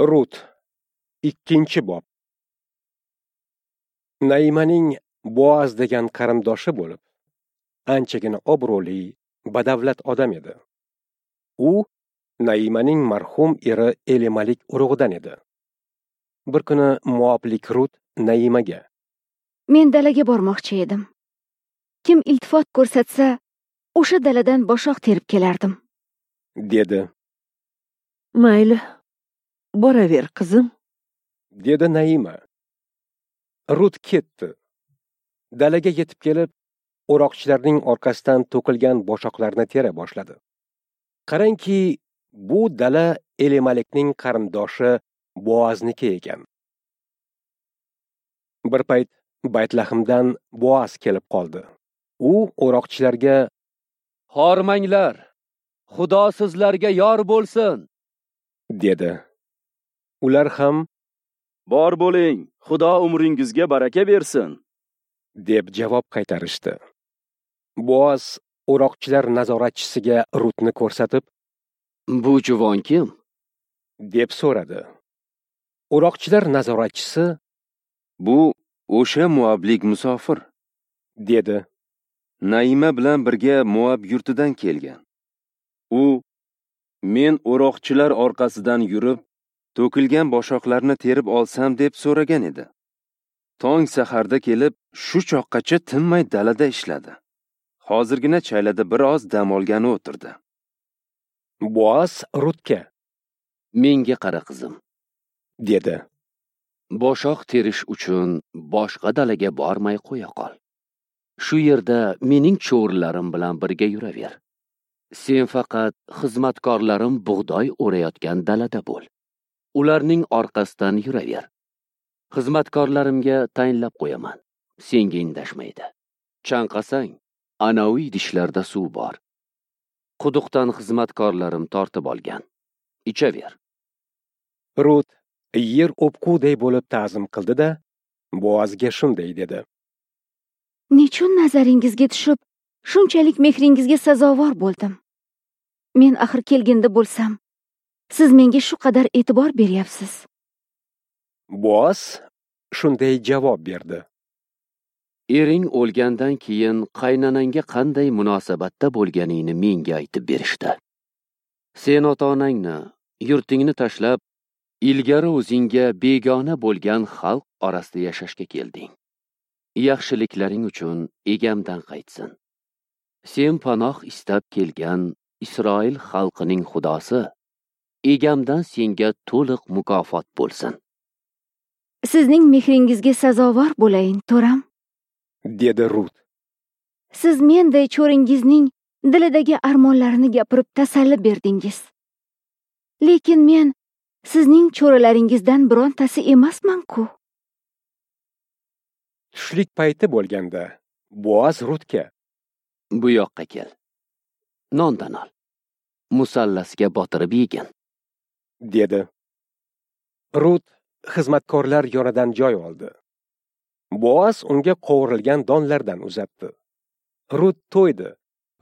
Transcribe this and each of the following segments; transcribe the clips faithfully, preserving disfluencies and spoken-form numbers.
Rut, ikkinchi bob. Naimaning Boaz degan qarindoshi bo'lib, anchagina obro'li, badavlat odam edi. U Naimaning marhum eri Elimalik urug'idan edi. Bir kuni Moablik Rut Naimaga: "Men dalaga bormoqchi edim. Kim iltifot ko'rsatsa, o'sha daladan boshoq terib kelardim", dedi. "Mayli, boraver qizim", dedi Naima. Rut ketdi. Dalaga yetib kelib, o'roqchilarning orqasidan to'kilgan boshoqlarni tera boshladi. Qarangki, bu dala Elimalikning qarindoshi Boazniki ekan. Bir payt Baytlahimdan Boaz kelib qoldi. U o'roqchilarga: "Hormanglar, Xudo sizlarga yor bo'lsin", dedi. Ular ham: "Bor bo'ling, Xudo umringizga baraka bersin", deb javob qaytarishdi. Boaz o'roqchilar nazoratchisiga Rutni ko'rsatib, "Bu juvon kim?" deb so'radi. O'roqchilar nazoratchisi: "Bu o'sha Moablik musofir", dedi. "Naima bilan birga Moab yurtidan kelgan. U men o'roqchilar orqasidan yurib, to'kilgan boshoqlarni terib olsam deb so'ragan edi. Tong saharda kelib, shu choqqacha tinmay dalada ishladi. Hozirgina chaylada bir oz dam olgani o'tirdi." Boaz Rutga: "Menga qara qizim", dedi. "Boshoq terish uchun boshqa dalaga bormay qo'ya qol. Shu yerda mening cho'rilarim bilan birga yuraver. Sen faqat xizmatkorlarim bug'doy o'rayotgan dalada bo'l. Ularning orqasidan yuraver. Xizmatkorlarimga tayinlab qo'yaman. Senga indashmaydi. Chanqasang, anavi idishlarda suv bor. Quduqdan xizmatkorlarim tortib olgan. Ichaver." Rut yer o'pquday bo'lib ta'zim qildi-da, Boazga shunday dedi: "Nechun nazaringizga tushib, shunchalik mehringizga sazovor bo'ldim? Men axir kelgindi bo'lsam, siz menga shu qadar e'tibor beryapsiz." Boaz shunday javob berdi: "Ering o'lgandan keyin qaynonangga qanday munosabatda bo'lganingni menga aytib berishdi. Sen ota-onangni, yurtingni tashlab, ilgari o'zingga begona bo'lgan xalq orasida yashashga kelding. Yaxshiliklaring uchun egamdan qaytsin. Sen panoh istab kelgan Isroil xalqining Xudosi egamdan senga to'liq mukofot bo'lsin." "Sizning mehringizga sazovor bo'layin, to'ram", dedi Rut. "Siz menday cho'ringizning dilidagi armonlarini gapirib tasalli berdingiz. Lekin men sizning cho'rilaringizdan birontasi emasman-ku." Tushlik payti bo'lganda Boaz Rutga: "Bu yoqqa kel. Nondan ol. Musallasga botirib yegin", dedi. Rut xizmatkorlar yonidan joy oldi. Boaz unga qovurilgan donlardan uzatdi. Rut to'ydi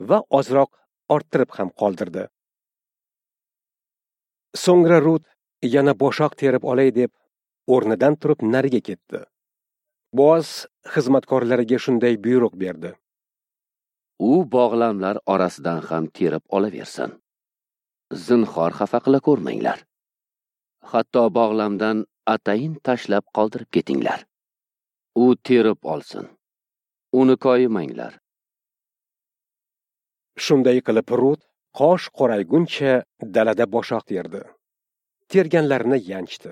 va ozroq orttirib ham qoldirdi. So'ngra Rut yana boshoq terib olay deb o'rnidan turib nariga ketdi. Boaz xizmatkorlariga shunday buyruq berdi: "U bog'lamlar orasidan ham terib olaversin. Zinhor xafa qila ko'rmanglar. Hatto bog'lamdan atayin tashlab qoldirib ketinglar. U terib olsin. Uni koyimanglar." Shunday qilib Rut qosh qorayguncha dalada boshoq terdi. Terganlarini yanchdi.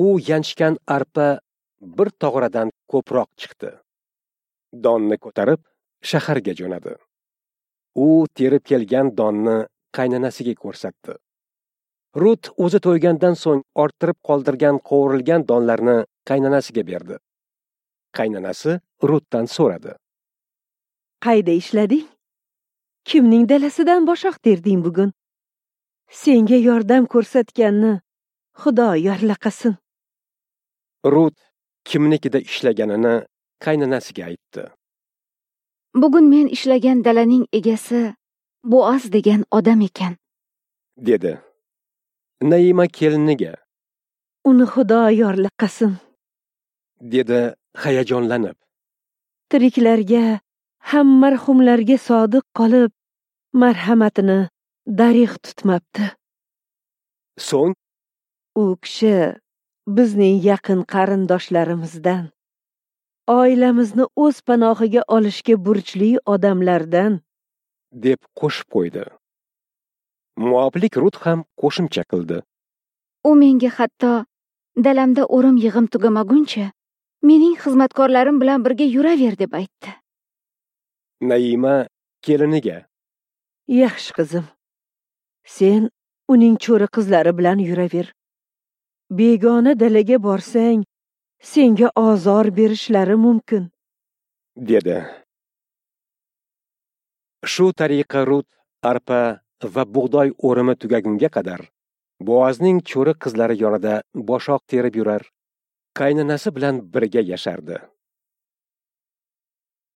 U yanchgan arpa bir tog'radan ko'proq chiqdi. Donni ko'tarib shaharga jo'nadi. U terib kelgan donni qaynonasiga ko'rsatdi. Rut o'zi to'ygandan so'ng orttirib qoldirgan qovurilgan donlarni qaynonasiga berdi. Qaynonasi Rutdan so'radi: "Qayda ishlading? Kimning dalasidan boshoq terding bugun? Senga yordam ko'rsatganni Xudo yorlaqasin." Rut kimnikida ishlaganini qaynonasiga aytdi. "Bugun men ishlagan dalaning egasi Boaz degan odam ekan", dedi. Naima keliniga: Uni Xudo yorlaqasin, dedi hayajonlanib. Tiriklarga ham marhumlarga sodiq qolib, marhamatini darig' tutmabdi. So'ng u kishi bizning yaqin qarindoshlarimizdan, oilamizni o'z panohiga olishga burchli odamlardan, deb qo'shib qo'ydi. Moablik Rut ham qo'shimcha qildi. U menga hatto dalamda o'rim yig'im tugamaguncha mening xizmatkorlarim bilan birga yuraver deb aytdi. Naima keliniga: Yaxshi qizim, sen uning cho'ri qizlari bilan yuraver. Begona dalaga borsang, senga ozor berishlari mumkin, dedi. Shu tariqa Rut arpa va bug'doy o'rimi tugagunga qadar Boazning cho'ri qizlari yonida boshoq terib yurar, qaynonasi bilan birga yashardi.